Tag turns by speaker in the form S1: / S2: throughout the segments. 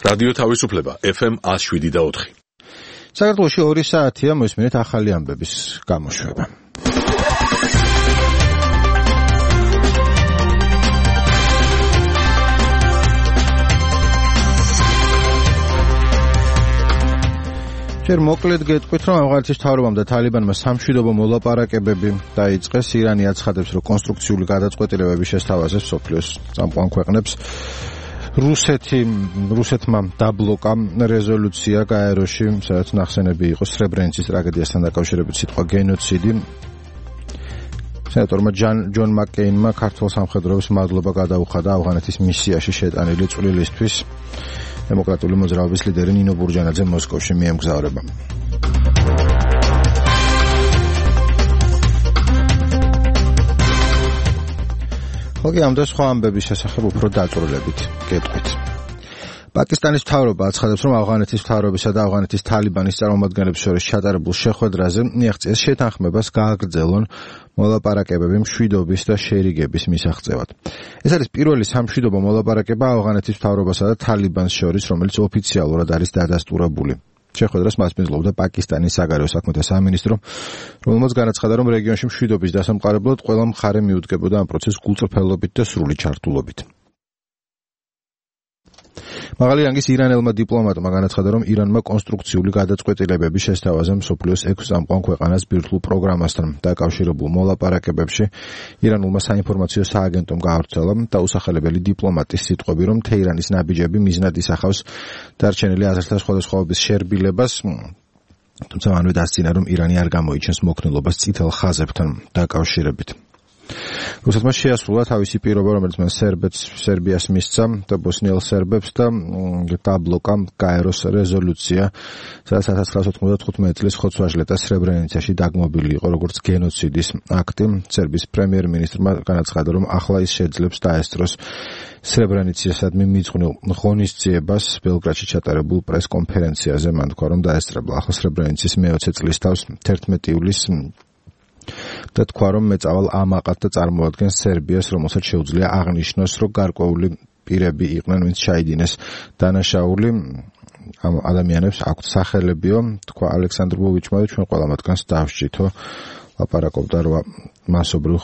S1: რადიო თავისუფლება FM 107.4.
S2: საქართველოში 2 საათია მოსმენთ ახალი ამბების გამოშვება. ჯერ მოკლედ გეტყვით, რომ ავღანეთის მთავრობამ და თალიბანმა სამშვიდობო მოლაპარაკებები დაიწყეს. ირანი აცხადებს, რომ კონსტრუქციული გადაწყვეტილებები შესთავაზებს მსოფლიოს წამყვან ქვეყნებს. რუსეთმა დაბლოკა რეზოლუცია გაეროში, სადაც ნახსენები იყო სრებრენიცის ტრაგედიასთან დაკავშირებით სიტყვა გენოციდი. სენატორმა ჯონ მაკკეინმა ქართულ სამხედროებს მადლობა გადაუხადა ავღანეთის მისიაში შეტანილი წვლილისთვის. დემოკრატიული მოძრაობის ლიდერი ნინო ბურჯანაძე მოსკოვში მიემგზავრება. ხოლმე ამ და სხვა ამბების შესახებ უფრო დაწვრილებით გეტყვით. პაკისტანის მთავრობა აცხადებს, რომ ავღანეთის მთავრობისა და ავღანეთის თალიბანის წარმომადგენლებს შორის ჩატარებულ შეხვედრაზე მიაღწიეს შეთანხმებას გააგრძელონ მოლაპარაკებები მშვიდობის და შერიგების მისაღწევად. ეს არის პირველი სამშვიდობო მოლაპარაკება ავღანეთის მთავრობასა და თალიბანს შორის, რომელიც ოფიციალურად არის დადასტურებული. შეხვედრას მასპინძლობდა პაკისტანის საგარეო საქმეთა სამინისტრო, რომელმაც განაცხადა, რომ რეგიონში მშვიდობის დასამყარებლად ყველა მხარე მიუდგებოდა ამ პროცესს გულწრფელობით და სრული ჩართულობით. მაღალი რანგის ირანელმა დიპლომატმა განაცხადა, რომ ირანმა კონსტრუქციული გადაწყვეტილებები შესთავაზა მსოფლიოს 6 წამყვან ქვეყანას ბირთვულ პროგრამასთან დაკავშირებულ მოლაპარაკებებში. ირანულმა საინფორმაციო სააგენტომ გაავრცელა დაუსახელებელი დიპლომატის სიტყვები, რომ თეირანის ნაბიჯები მიზნად ისახავს დარჩენილი აზრთა სხვადასხვაობის შერბილებას, თუმცა მანვე დასძინა, რომ ირანი არ გამოიჩენს მოქნილობას წითელ ხაზებთან დაკავშირებით. რუსეთმა შეასრულა თავისი პირობა, რომელიც მან სერბიას მისცა და ბოსნიელ სერბებს და დაბლოკა გაეროს რეზოლუცია, სადაც 1995 წლის ხოცვაჟლეტა სრებრენიცაში დაგმობილი იყო როგორც გენოციდის აქტი. სერბიის პრემიერ-მინისტრმა განაცხადა, რომ ახლა ის შეძლებს დაესწროს სრებრენიცისადმი მიძღვნილ ღონისძიებას ბელგრადში ჩატარებულ პრესკონფერენციაზე. მან თქვა, რომ დაესწრებლა ახლა სრებრენიცის მე-20 წლის თავს 11 ივლისს და თქვა, რომ მეწავალ ამაყად და წარმოადგენს სერბიას, რომელსაც შეუძლია აღნიშნოს, რომ გარკვეული პირები იყვნენ, ვინც ჩაიდინეს დანაშაული. ამ ადამიანებს აქვთ სახელებიო, თქვა ალექსანდრ ბოვიჩმა და ჩვენ ყველა მათგანს დავსჯითო. ლაპარაკობდა მასობრივ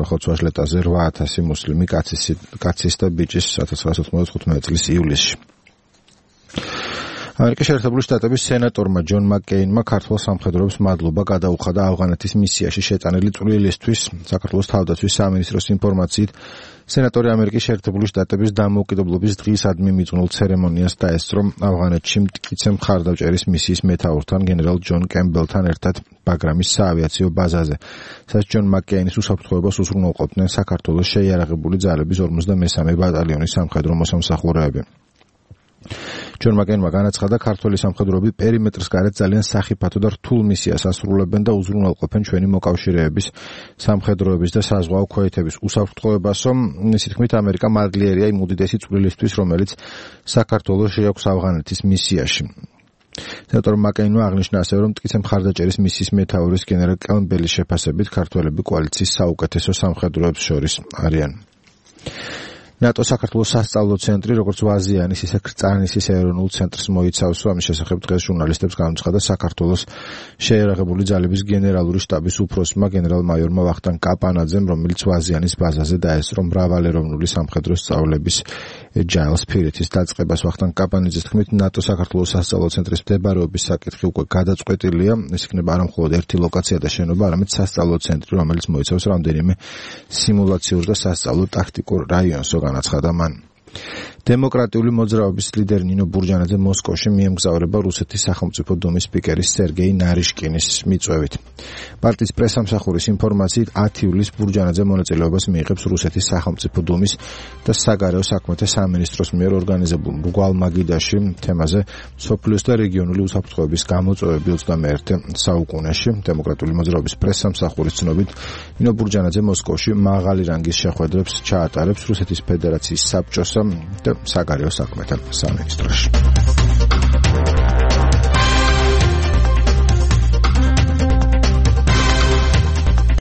S2: ხოცვაჟლეტაზე 8000 მუსლიმი კაცის და ბიჭის 1995 წლის ივლისში. ამერიკის შეერთებული შტატების სენატორმა ჯონ მაკკეინმა ქართულ სამხედროებს მადლობა გადაუხადა ავღანეთის მისიაში შეტანილი წვლილისთვის. საქართველოს თავდაცვის სამინისტროს ინფორმაციით, სენატორი ამერიკის შეერთებული შტატების დამოუკიდებლობის დღისადმი მიძღვნილ ცერემონიას დაესწრო ავღანეთში მტკიცე მხარდაჭერის მისიის მეთაურთან გენერალ ჯონ კემბელთან ერთად ბაგრამის საავიაციო ბაზაზე, სადაც ჯონ მაკკეინის უსაფრთხოებას უზრუნველყოფდნენ საქართველოს შეიარაღებული ძალების 53 ბატალიონის სამხედრო მოსამსახურეები. ჯონ მაკკეინმა განაცხადა, ქართველი სამხედროები პერიმეტრს გარეთ ძალიან სახიფათო და რთულ მისიას ასრულებენ და უზრუნველყოფენ ჩვენი მოკავშირეების, სამხედროების და საზღვაო ქვეითების უსაფრთხოებასო. მისი თქმით, ამერიკა მადლიერია იმ უდიდესი წვლილისთვის, რომელიც საქართველოს შეაქვს ავღანეთის მისიაში. სენატორ მაკკეინმა აღნიშნა ასევე, რომ მტკიცე მხარდაჭერის მისიის მეთაურის გენერალ კემბელის შეფასებით ქართველები კოალიციის საუკეთესო სამხედროებს შორის არიან. ნატო საქართველოს სასწავლო ცენტრი, როგორც ვაზიანის, ისე კრწანისის ეროვნულ ცენტრს მოიცავს. ამის შესახებ დღეს ჟურნალისტებს განუცხადა საქართველოს შეიარაღებული ძალების გენერალური შტაბის უფროსმა გენერალ-მაიორმა ვახტანგ კაპანაძემ, რომელიც ვაზიანის ბაზაზე დაესწრო მრავალეროვნული სამხედრო სწავლების ჯაილს ფირეთის დაწყებას. ვახტანგ კაპანაძის თქმით, ნატო საქართველოს სასწავლო ცენტრის მდებარეობის საკითხი უკვე გადაწყვეტილია. ეს იქნება არა მხოლოდ ერთი ლოკაცია და შენობა, არამედ სასწავლო ცენტრი, რომელიც მოიცავს რამდენიმე სიმულაციურ და სასწავლო ტაქტიკურ რაიონს. განაცხადა მან. დემოკრატიული მოძრაობის ლიდერი ნინო ბურჯანაძე მოსკოვში მიემგზავრება რუსეთის სახელმწიფო დუმის სპიკერის სერგეი ნარიშკინის მიწვევით. პარტიის პრესამსახურის ინფორმაციით 10 ივლისს ბურჯანაძე მონაწილეობას მიიღებს რუსეთის სახელმწიფო დუმის და საგარეო საქმეთა სამინისტროს მიერ ორგანიზებულ მრგვალ მაგიდაში თემაზე მსოფლიოს და რეგიონული უსაფრთხოების გამოწვევები 21 საუკუნეში. დემოკრატიული მოძრაობის პრესამსახურის ცნობით, ნინო ბურჯანაძე მოსკოვში მაღალი რანგის შეხვედრებს ჩაატარებს რუსეთის ფედერაციის საბჭოსა და საგარეო საქმეთა სამინისტროში.